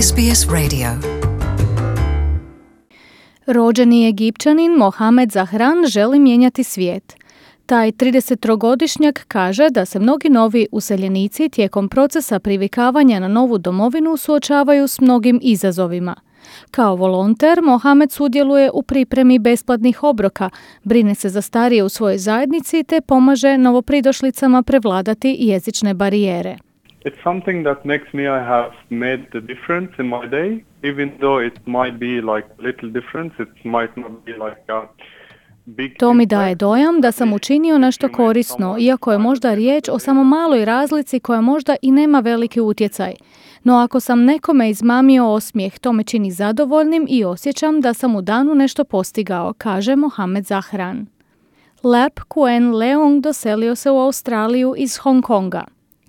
SBS Radio. Rođeni Egipćanin Mohamed Zahran želi mijenjati svijet. Taj 33-godišnjak kaže da se mnogi novi useljenici tijekom procesa privikavanja na novu domovinu suočavaju s mnogim izazovima. Kao volonter, Mohamed sudjeluje u pripremi besplatnih obroka, brine se za starije u svojoj zajednici te pomaže novopridošlicama prevladati jezične barijere. It's something that makes me I have made the difference in my day, even though it might be like little difference, it might not be like a big. To mi daje dojam da sam učinio nešto korisno, iako je možda riječ o samo maloj razlici koja možda i nema veliki utjecaj. No ako sam nekome izmamio osmijeh, to me čini zadovoljnim i osjećam da sam u danu nešto postigao, kaže Mohamed Zahran. Lap Kuen Leong doselio se u Australiju iz Hong Konga.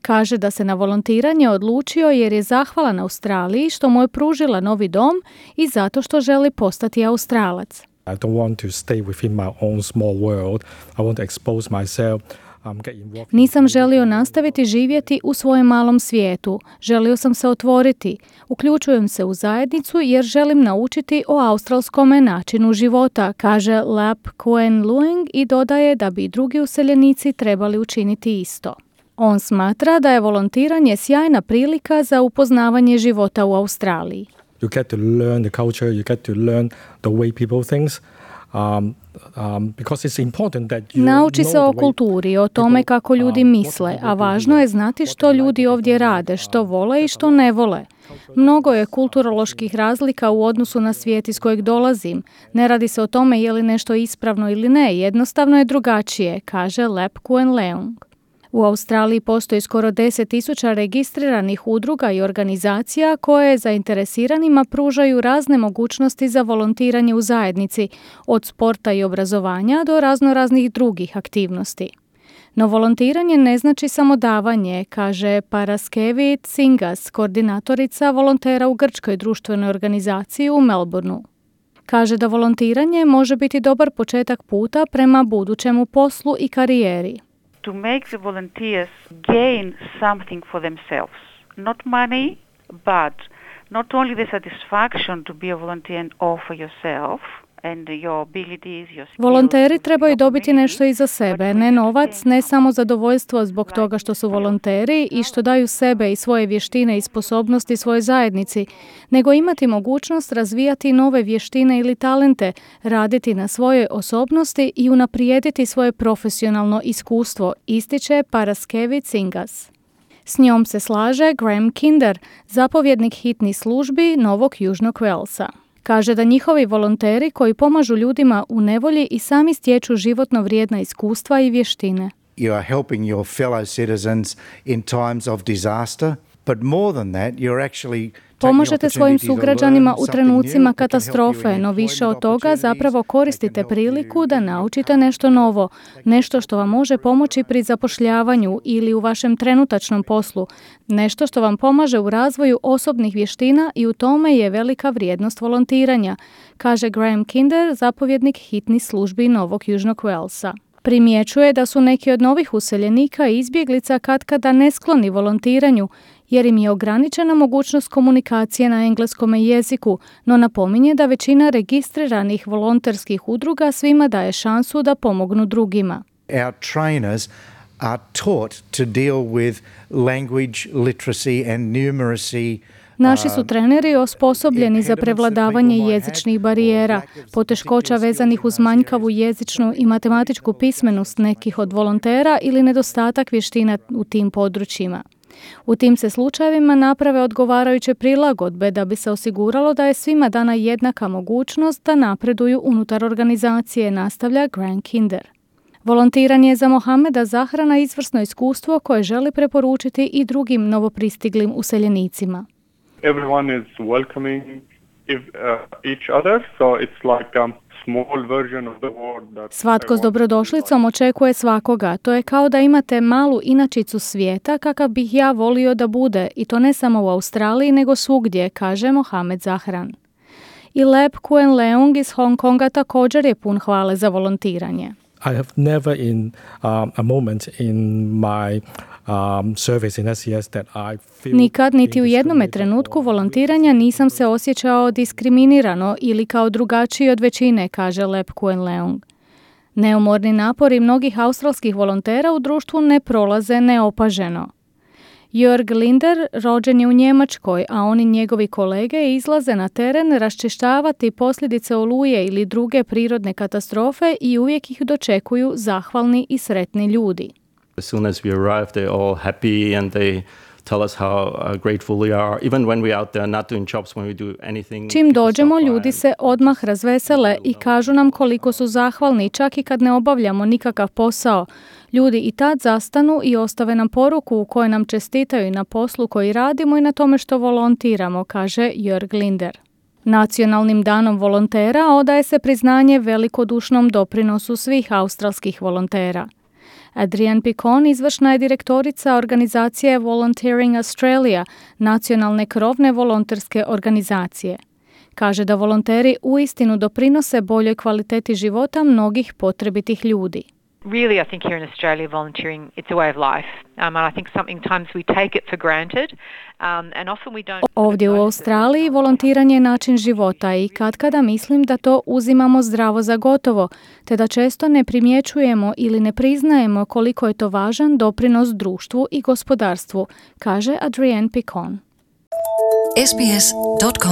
Kaže da se na volontiranje odlučio jer je zahvalan Australiji što mu je pružila novi dom i zato što želi postati Australac. I don't want to stay within my own small world. I want to expose myself. Nisam želio nastaviti živjeti u svojem malom svijetu. Želio sam se otvoriti. Uključujem se u zajednicu jer želim naučiti o australskome načinu života, kaže Lap Kuen Lueng i dodaje da bi drugi useljenici trebali učiniti isto. On smatra da je volontiranje sjajna prilika za upoznavanje života u Australiji. You get to learn the culture, you get to learn the way people think. Because it's important that you Nauči se o kulturi, o tome kako ljudi misle, a važno je znati što ljudi ovdje rade, što vole i što ne vole. Mnogo je kulturoloških razlika u odnosu na svijet iz kojeg dolazim. Ne radi se o tome je li nešto ispravno ili ne, jednostavno je drugačije, kaže Lap Kuen Leong. U Australiji postoji skoro 10.000 registriranih udruga i organizacija koje zainteresiranima pružaju razne mogućnosti za volontiranje u zajednici, od sporta i obrazovanja do raznoraznih drugih aktivnosti. No volontiranje ne znači samo davanje, kaže Paraskevi Tsingas, koordinatorica volontera u grčkoj društvenoj organizaciji u Melbourneu. Kaže da volontiranje može biti dobar početak puta prema budućemu poslu i karijeri. To make the volunteers gain something for themselves. Not money, but not only the satisfaction to be a volunteer and offer yourself and your abilities, your skills. Volonteri trebaju dobiti nešto i za sebe, ne novac, ne samo zadovoljstvo zbog toga što su volonteri i što daju sebe i svoje vještine i sposobnosti svojoj zajednici, nego imati mogućnost razvijati nove vještine ili talente, raditi na svojoj osobnosti i unaprijediti svoje profesionalno iskustvo, ističe Paraskevi Tsingas. S njom se slaže Graham Kinder, zapovjednik hitnih službi Novog Južnog Walesa. Kaže da njihovi volonteri koji pomažu ljudima u nevolji i sami stječu životno vrijedna iskustva i vještine. You are helping your fellow citizens in times of disaster, but more than that, you're actually Pomožete svojim sugrađanima u trenucima katastrofe, no više od toga zapravo koristite priliku da naučite nešto novo, nešto što vam može pomoći pri zapošljavanju ili u vašem trenutačnom poslu, nešto što vam pomaže u razvoju osobnih vještina i u tome je velika vrijednost volontiranja, kaže Graham Kinder, zapovjednik hitnih službi Novog Južnog Walesa. Primjećuje da su neki od novih useljenika i izbjeglica katkada neskloni volontiranju, jer im je ograničena mogućnost komunikacije na engleskom jeziku, no napominje da većina registriranih volonterskih udruga svima daje šansu da pomognu drugima. Our trainers are taught to deal with language literacy and numeracy. Naši su treneri osposobljeni za prevladavanje jezičnih barijera, poteškoća vezanih uz manjkavu jezičnu i matematičku pismenost nekih od volontera ili nedostatak vještina u tim područjima. U tim se slučajevima naprave odgovarajuće prilagodbe da bi se osiguralo da je svima dana jednaka mogućnost da napreduju unutar organizacije, nastavlja Graham Kinder. Volontiranje je za Mohameda Zahrana izvrsno iskustvo koje želi preporučiti i drugim novopristiglim useljenicima. Everyone is welcoming each other, so it's like a small version of the world that Svatko s dobrodošlicom očekuje svakoga. To je kao da imate malu inačicu svijeta kakav bih ja volio da bude, i to ne samo u Australiji nego svugdje, kaže Mohamed Zahran. I Lap Kuen Leong iz Hong Konga također je pun hvale za volontiranje. I have never in a moment in my service in SES that I feel Nikad, niti u jednome trenutku volontiranja nisam se osjećao diskriminirano ili kao drugačiji od većine, kaže Lep Kuen Leung. Neumorni napori mnogih australskih volontera u društvu ne prolaze neopaženo. Jörg Linder rođen je u Njemačkoj, a on i njegovi kolege izlaze na teren raščišćavati posljedice oluje ili druge prirodne katastrofe i uvijek ih dočekuju zahvalni i sretni ljudi. As soon as we arrive, they're all happy and they tell us how grateful we are, even when we're out there not doing jobs, when we do anything. Čim dođemo, ljudi se odmah razvesele i kažu nam koliko su zahvalni, čak i kad ne obavljamo nikakav posao. Ljudi i tad zastanu i ostave nam poruku u kojoj nam čestitaju na poslu koji radimo i na tome što volontiramo, kaže Jörg Linder. Nacionalnim danom volontera odaje se priznanje velikodušnom doprinosu svih australskih volontera. Adrienne Picon, izvršna je direktorica organizacije Volunteering Australia, nacionalne krovne volonterske organizacije. Kaže da volonteri uistinu doprinose boljoj kvaliteti života mnogih potrebitih ljudi. Really, I think here in Australia, volunteering, it's a way of life. And I think sometimes we take it for granted, and often we don't. Ovdje u Australiji volontiranje je način života i katkada mislim da to uzimamo zdravo za gotovo, te da često ne primjećujemo ili ne priznajemo koliko je to važan doprinos društvu i gospodarstvu, kaže Adrienne Picon. sbs.com.au